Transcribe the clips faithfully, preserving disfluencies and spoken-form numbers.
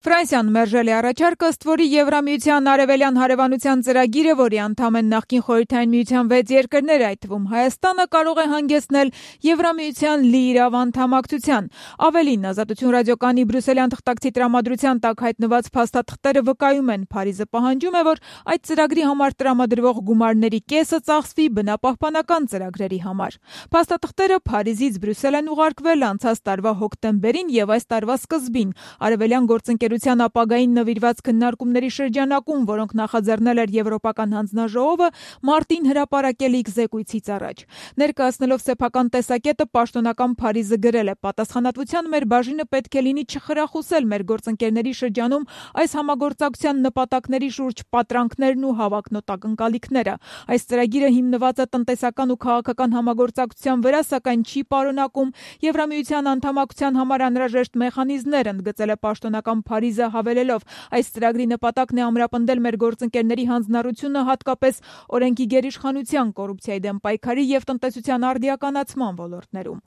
Ֆրանսիան մերժել է առաջարկը, ըստ որի Եվրամիության արևելյան հարևանության ծրագիրը, որի անդամ են նախկին Խորհրդային Միության վեց երկրներ, այդ թվում Հայաստանը, կարող է հանգեցնել Եվրամիության լիիրավ անդամակցության։ Ավելին, Ազատություն ռադիոկայանի բրյուսելյան թղթակցի տրամադրության տակ հայտնված փաստաթղթերը վկայում են, Փարիզը պահանջում է, որ այդ ծրագրի համար տրամադրվող գումարների կեսը ծախսվի բնապահպանական ծրագրերի համար։ Փաստաթղթերը Փարիզից Բրյուսել են ուղարկվել անցած տարվա հոկտեմբերին եւ այս տարվա սկզբին արևելյան գործընկերության ապագային նվիրված քննարկումների շրջանակում, որոնք նախաձեռնել էր Եվրոպական հանձնաժողովը, մարտին հրապարակել զեկույցից առաջ։ Ներկայացնելով սեփական տեսակետը, պաշտոնական Փարիզը գրել է. «Պատասխանատվության մեր բաժինը պետք է լինի չխրախուսել մեր գործընկերների շրջանում այս համագործակցության նպատակների շուրջ պատրանքներն ու հավակնոտ ակնկալիքները։ Այս ծրագիրը հիմնված է տնտեսական ու քաղաքական համագործակցության վրա, սակայն չի պարունակում Եվրամիության անդամակցության համար անհրաժեշտ մեխանիզմներ», ընդգծել է պաշտոնական Փարիզը, հավելելով. «Այս ծրագրի նպատակն է ամրապնդել մեր գործընկերների հանձնառությունը հատկապես օրենքի գերիշխանության, կոռուպցիայի դեմ պայքարի եւ տնտեսության արդիականացման ոլորտներում»։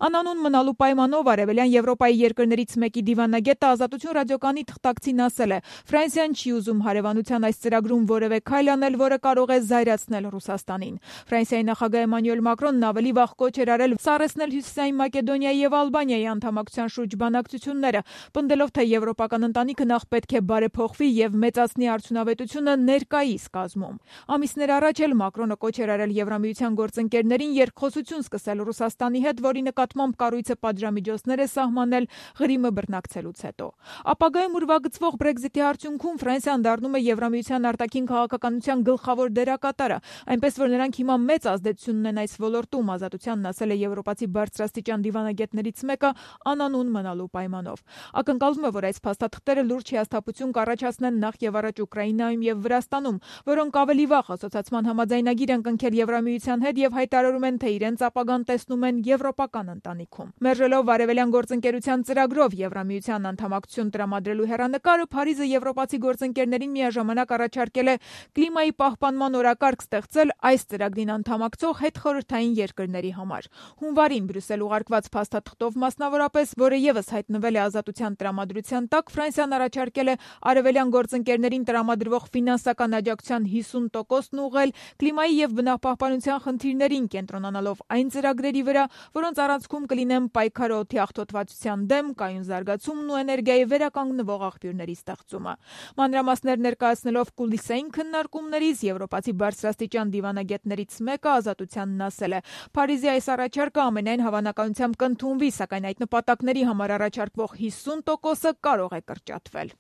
Անանուն մնալու պայմանով արևելյան Եվրոպայի երկրներից մեկի դիվանագետը Ազատություն ռադիոկայանի թղթակցին ասել է. «Ֆրանսիան չի ուզում հարևանության այս ծրագրում որևէ քայլ անել, որը կարող է զայրացնել Ռուսաստանին»։ Ֆրանսիայի նախագահ Էմանուել Մակրոնն ավելի վաղ կոչ էր արել սառեցնել Հյուսիսային Մակեդոնիայի եւ Ալբանիայի անդամակցության շուրջ բանակցությունները, պնդելով, թե եվրոպական ընտանիքը նախ պետք է բարեփոխվի եւ մեծացնի արդյունավետությունը ներկայիս կազմում։ Ամիսներ առաջ էլ Մակրոնը կոչ էր արել Եվրամիության գործընկերներին երկխոսություն սկսել Ռուսաստանի հետ, որի նկատմամբ կառույցը պատժամիջոցներ է սահմանել Ղրիմը բռնակցելուց հետո։ Ապագայում ուրվագծվող Բրեքզիթի արդյունքում Ֆրանսիան դառնում է Եվրամիության արտաքին քաղաքականության գլխավոր դերակատարը, այնպես որ նրանք հիմա մեծ ազդեցություն ունեն այս ոլորտում, Ազատությանն ասել է եվրոպացի բարձրաստիճան դիվանագետներից մեկը անանուն մնալու պայմանով։ Ակնկալվում է, որ այս փաստաթղթերը լուրջ հիասթափություն կառաջացնեն նախ եւ առաջ Ուկրաինայում եւ Վրաստանում, որոնք ավելի վաղ ասոցիացման համաձայնագիր են կնքել Եվրամիության հետ եւ հայտարարում են, թե իրենց ապագան տեսնում են եվրոպական ընտանիքում։ Մերժելով արևելյան գործընկերության ծրագրով Եվրամիության անդամակցություն տրամադրելու հեռանկարը, Փարիզը եվրոպացի գործընկերներին միաժամանակ առաջարկել է կլիմայի պահպանման օրակարգ ստեղծել այս ծրագրին անդամակցող հետխորհրդային երկրների համար։ Հունվարին Բրյուսել ուղարկված փաստաթղթով մասնավորապես, որը եւս հայտնվել է Ազատության տրամադրության տակ, Ֆրանսիան առաջարկել է արևելյան գործընկերներին տրամադրվող ֆինանսական աջակցության հիսուն տոկոսն ուղղել կլիմայի եւ բնապահպանության խնդիրներին, կենտրոնանալով այն ծրագրերի վրա, որոնց առանցքում կլինեն պայքարը օդի աղտոտվածության դեմ, կայուն զարգացումն ու էներգիայի վերականգնվող աղբյուրների ստեղծումը։ Մանրամասներ ներկայացնելով կուլիսային քննարկումներից եվրոպացի բարձրաստիճան դիվանագետներից մեկը Ազատությանն ասել է. «Փարիզի այս առաջարկը ամենայն հավանականությամբ կընդունվի, սակայն այդ նպատակների համար առաջարկվող հիսուն տոկոսը կարող է կրճատվել»։